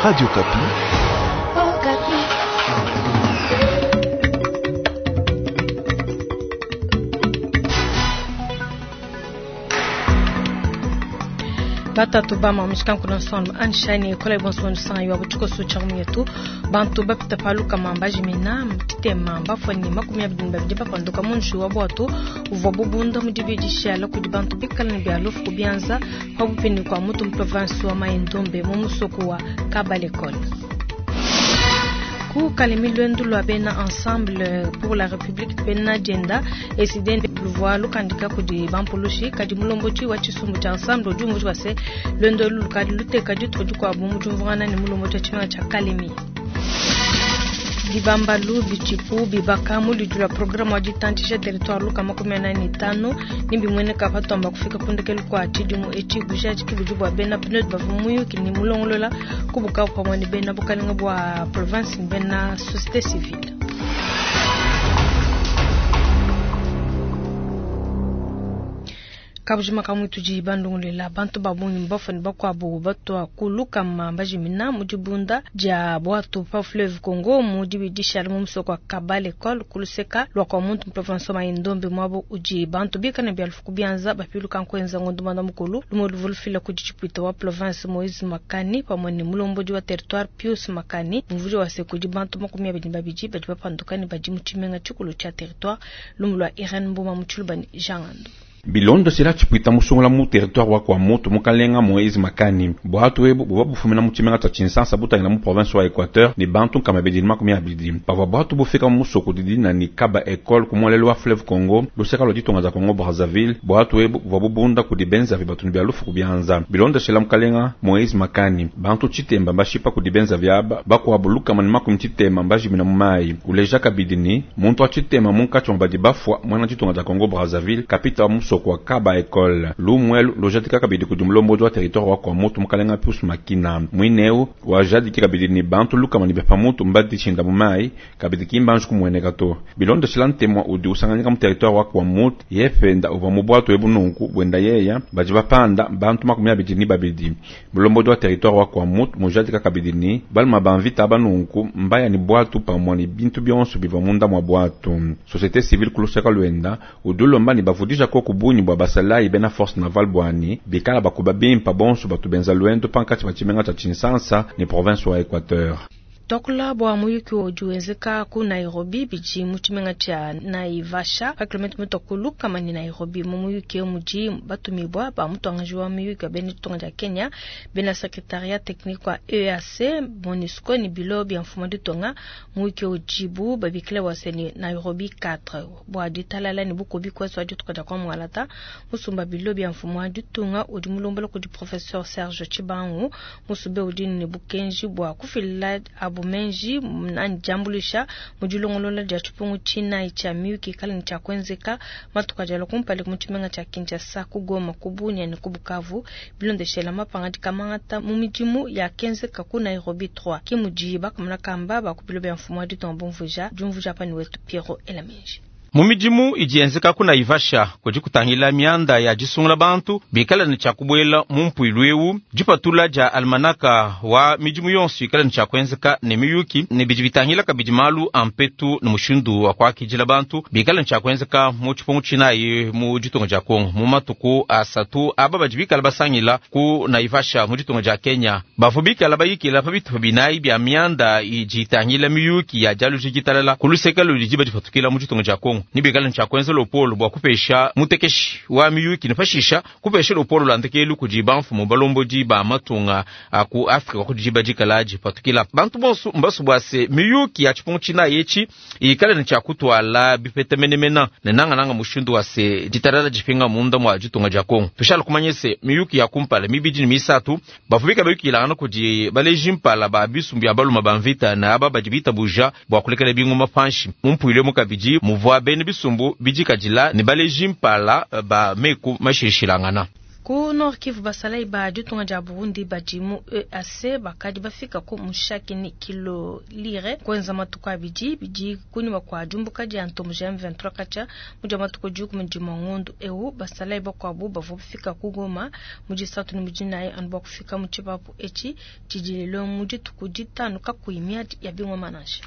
Radio Okapi. Batatu ba mushikanku na nsonlo anshani ekola ibonso san yo butiko so cha mwetu bantu bapita paluka mamba jimina mtitema mbafani 22 bapanduka munshi wa bwatu uvwa bubunda mu dibidisha kudi bantu bikala ne bya lufu kubyanza pabupini kwa mutu mu province wa Mai-Ndombe mu musoko wa Kabalekole. Ku Kalemi lwendu lwa bena Ensemble pour la République bena dienda esiden luvua lukandika kudi bampulushi kadi mulombodi wa tshisumbu tshia Ensemble udi umvuija se lwendo elu lukadi luteka dituku dikuabu mu diumvuangana ne mulombodi wa tshimenga tshia Kalemi. Bibambalu bitshipu bibaka mu ludi lua programme wa ditantshisha territoire luka 45 ne bimueneka patuamba kufika kundekelu kua tshidimu etshi bujadiki budi bua bena PNUD bavua muyuki ne mulongolola ku Bukavu pamue ne bena bukalenga bua province ne bena société civile. Kabujima kamwe tudi bandungulela bantu ba bungi mbafani bakuabu batwa kuluka mamba jimina mu dibunda dia bwatu pa fleuve Congo mu dibidisha mu musoko wa Kabale École kuluseka lwa kwa muntu mu province wa Mai-Ndombe mwabo udi bantu bikana bya lufu kubianza bapiluka nkwenza ngondo manda mukulu lumo luvulufila kudi tshipwita wa province Moïse Makani pamwe ne mulombodi wa territoire Pius Makani mvujo wa sekudi bantu 22 badi bapanduka ne badi mu tshimenga tshikulu tshia territoire lumu lwa Irène Mboma mu Tshilubani Jean Ngando. Bilondo sila tshipwita musungula mu territoire wa kwa mutu mukalenga Moïse Makani bwatu ebu buvua bufumina mu tshimenga tshia Tshinsansa butangila mu province wa Equateur ne bantu nkama bidi ne 20. Pavua bwatu bufika mu musoko didi ni Kaba École ku muelelu wa fleuve Congo luseka lua ditunga dia Congo Brazzaville bwatu ebu buvua bubunda kudi benzavi batu ne bia lufu kubianza. Bilondo sila mukalenga Moïse Makani bantu tshitemba bashipa kudi benzavi aba bakuabu lukama ne 90 mbajimina mu mayi. Uleja kabidi ni muntu wa tshitema munkatshi mwa badi bafua mwana ditunga dia Congo Brazzaville kapita wa musoko kwa Kaba École lumwelu lojadika kabidi kudi mulombodi wa territoire wa kwa mutu mukalenga Pius Makina mwineu wajadiki kabidi ni bantu lukama ni bepa mutu mbadi tshinda mu mayi kabidi kimbanji kumueneka to bilondo shila ntemwa udi usanganyika mu territoire wa kwa mutu yependa uva mu bwatu ebu nunku bwenda yeya badi bapanda bantu 22. Mulombodi wa territoire wa kwa mutu mujadika kabidi ni baluma banvita aba nunku mbaya ni bwatu pamwa ni bintu bionso biva munda mwa bwatu. Société civile kuluseka lwenda udulomba ni bavudisha ko kubunyi bwa basalayi bena force navale bwani bikala bakuba bimpa bonso batu benza lwendo pankati ba tshimenga tshia Tshinsansa ni province wa Equateur. Twakula bua muyuki udi wenzeka ku Nairobi bidi mu tshimenga tshia Naivasha pa kilomita mutua ku lukama ne Nairobi. Mu muyuki eu mudi batumibua ba mutuangaji wa muyuki wa bena ditunga dia Kenya bena secrétariat technique wa EAC MONUSCO ne bilo bia mfumu wa ditunga. Muyuki udibu babikila bua se ni Nairobi 4 bua ditalala ne bukubi kuesu wa dituka dia kwa mualata musumba bilo bia mfumu wa ditunga udi mulombola kudi professeur Serge Tshibangu musube udi ne bukenji bua kufila abu menji nani jambulisha mujilongolola dia tshipungu tshinayi tshia miyuki kala ne tshia kuenzeka matuka dia kumpala mu tshimenga tshia Kinshasa ku Goma ku Bunia ne ku Bukavu bilondeshela mapanga dikamangata mu midimu ya kenzeka ku Nairobi 3 ki mudi bakamuna kamba bakubilo bia mfumu wa ditunga bumvuja diumvuja pani wetu Piero Elamenji. Mu midimu idi yenzeka ku Naivasha kudi kutangila mianda ya disungula bantu bikala ne tshia kubuela mu mpuilu eu dipatula dia almanaka wa midimu yonso ikala ne tshia kuenzeka ne miyuki ne bidi bitangila kabidi malu a mpetu ne mushindu wa kuakidila bantu bikala ne tshia kuenzeka mu tshipungu tshinayi mu ditunga dia Kongo mu matuku asatu aba badi bikala basangila ku Naivasha mu ditunga dia Kenya bavua bikala bayikila pa bitupa binayi bia mianda idi itangila miyuki ya dialuji ditalala ku luseke ludi badipatukila mu ditunga dia Kongo ni bikala ntshia kuenza lopolo bua kupesha mutekeshi wa miyuki ne pashisha kupesha lopolo lwa ndekelu kudi bamfumu balombodi ba matunga a ku Afrika kudi badikala dipatukila bantu bonso mbasu bua se miyuki ya tshipungu tshinayi etshi ikala ne tshia kutwala bipeta menemena ne nangananga mushindu wa se ditalala dipinga munda mwa ditunga dia Kongo. Tushala kumanya se miyuki ya kumpala mibidi ne misatu bavua bikala bayukilangana kudi baleji mpala ba bisumbu bia baluma ba mvita na aba badi bitabuja bua kulekela bingoma panshi mu mpuilu emu kabidi muvua bena bisumbu bidikadila ne baleji mpala ba meku mashilashilangana. Ku Nord Kivu, basalayi ba ditunga dia Burundi badi mu EAC bakadi bafika ku Mushaki ne Kilolire kuenza matuku abidi bidi kunyima kua diumbuka dia ntomboji ya M23 katshia mu dia matuku 11 ngondo eu. Basalayi bakuabu bavua bafika ku Goma mu disatu ne mu dinayi anu bua kufika mu tshipapu etshi tshidi lelo mu dituku ditanu kakuyi miadi ya bingoma nansha.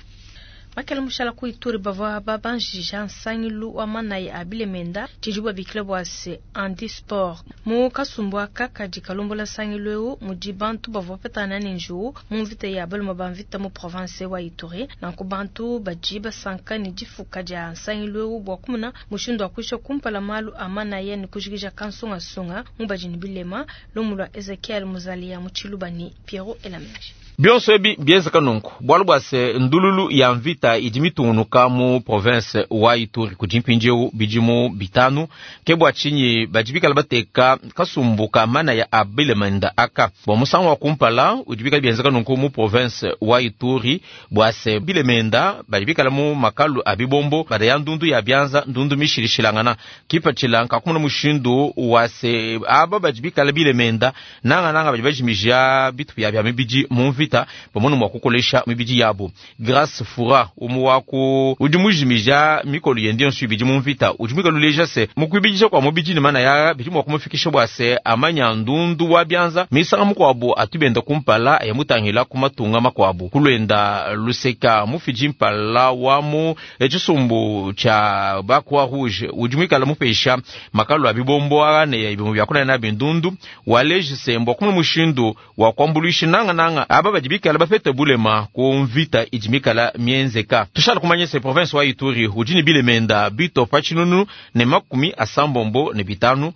Makela mushala ku Ituri bavua babanjija nsangilu wa manaya a bilemenda tshidi babikila bua se handisport. Mu kasumbu aka kadi kalombola nsangilu eu mudi bantu bavua bapetana ne njiwu mu mvita ya balume ba mvita mu province wa Ituri. Nanku bantu badi basanka ne difuka dia nsangilu eu bua kumona mushindu wa kuisha kumpala malu a manaya ne kujikija kansungasunga mu badi ne bilema. Lumu lua Ezekiel Muzalia mu Tshiluba ne Pierrot Elameji. Bionso ebi bienzeka nunku bualu bua se ndululu ya mvita idi mitungunuka mu province wa Ituri kudi mpindieu bidimu 5. Ke bua tshinyi badi bikala bateka kasumbu ka manaya a bilemenda aka bua musangu wa kumpala udi bikala bienzeka nunku mu province wa Ituri bua se bilemenda badi bikala mu makalu a bibombo bada ya ndundu ya bianza ndundu mishilishilangana kipatshila nkakumuna mushindu wa se aba badi bikala bilemenda nanga nanga badi bajimija bitu bya bya mibidi mu mvita pamono mwa kukolesha mibidi yabo. Grace Fura umu wako udi mujimija mikolo yende yonso ibidi mu mvita udi mwikaluleja se mukwibidisha kwa mubidi ne mana ya bidi mwa kumufikisha bua se amanya ndundu wa bianza misanga mukwabo atubenda kumpala ya mutangila kumatunga makwabo kulwenda luseka mufiji mpala wa mu echisumbu cha ba Croix Rouge udi mwikala mupesha makalo abibombo ne ibimu byakuna na bindundu waleje se mbwa kumwe mushindu wa kwambuluisha nanga nanga aba badi bikala bapete bulema ku mvita idi mikala mienzeka. Tushala kumanya se province wa Ituri udi ne bilemenda bito pa tshinunu ne 85.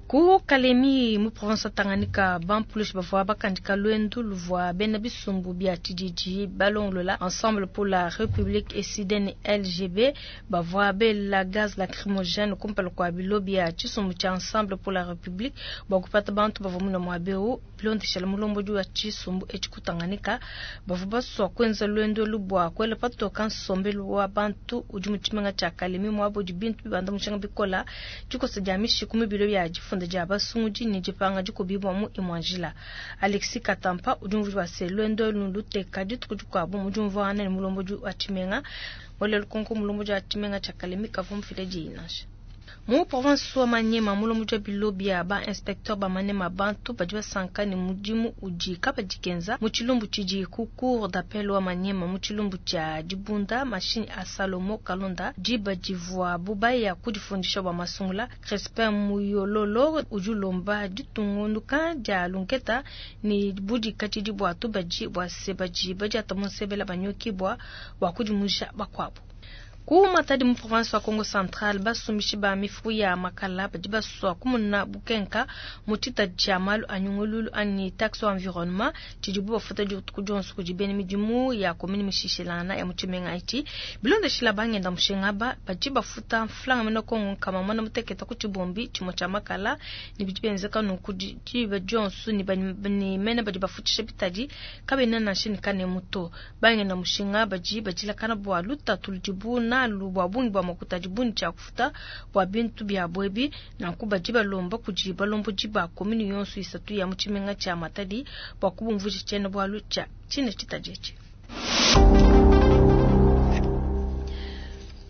Ku Kalemi mu province Tanganyika bampulushi bavua bakandika lwendu luvua bena bisumbu bia tshididi balongolola Ensemble pour la République Ecidene LGB bavua bela gaz lacrymogène kumpala kua bilo bia tshisumbu tshia Ensemble pour la République bua kupata bantu bavua muna muabeu bilondeshela mulombodi wa tshisumbu etshi ku Tanganyika bavua basua kuenza lwendu lubua kwela patoka nsombelu wa bantu udi mu tshimenga tshia Kalemi muabo udi bintu bibanda mushinga bikola tshikosa dia mishiku mu bilo bia difunda dia basungudi ne dipanga dikubibwa mu imwanjila. Alexis Katampa udi umvuija wa se lwendo luteka dituku dikuabu mu diumvuangana ne mulombodi wa tshimenga wale lukonko mulombodi wa tshimenga tshia Kalemi kavua mufile diyi nansha. Mu province wa Maniema mulombodi wa bilo bia ba inspecteur ba Maniema bantu badi basanka ne mudimu udi kabadikenza mu tshilumbu tshidi ku cour d'appel wa Maniema mu tshilumbu tshia dibunda machine a Salomo Kalonda diba divua bubaya kudifundisha bua masungula. Crespin Muyololo udi ulomba ditungunuka dia lunketa ne budikadidi bua tubadi bua se badi badiata mu nsebela banyokibwa bua kudimusha bakuabu. Ku Matadi mu province wa Kongo Central basumbishi ba mifuku ya makala badi basua kumuna bukenka mu tshita tshia malu a nyungululu ani taxe environnement tshidibu bafuta dituku dionso kudi bena midimu ya commune mishishilana ya mu tshimenga etshi bilondeshila bangenda mushinga ba badi bafuta mflanga mena Kongo nkama mwana muteketa ku tshibombi tshimue tshia makala ne bidi bienzeka nunku diba dionso ne mena badi bafutisha bitadi kabena nansha ne kanemu to bangenda mushinga badi badilakana bua lutatu ludibu nalu bua bungi bua makuta dibuni tshia kufuta bua bintu bia bwebi nanku badi balomba kudi balombodi ba commune yonso isatu ya mu tshimenga tshia Matadi bua kubumvuija tshiena bualu tshia tshine tshitadi etshi.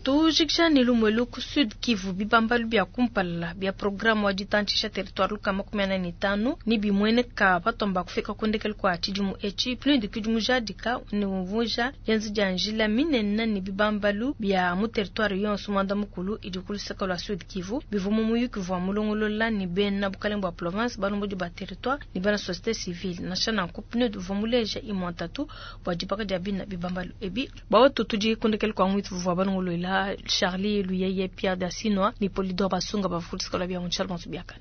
Tujikisha ne lumwelu ku Sud Kivu bibambalu bia kumpala bia programme wa ditantshisha territoire lukama 45 ni bimweneka patomba kufika kundekele kwa tshidimu etshi PNUD kudi mujadika ne umvuija yenzi dia njila minene ne bibambalu bia mu territoire yonso mwanda mukulu idi ku luseke lua Sud Kivu bivua mu muyuki vua mulongolola ne bena bukalenge bua province balombodi ba territoire ne bena société civile nansha nanku PNUD uvua muleja imua ntatu bua dibaka dia bina bibambalu ebi bua tudi kundekele kwa mwitu vua balongolola Charlie Luyeye Pierre Dassinoi ni Polidor Basunga bavulisika lwa bia Charles Biakana.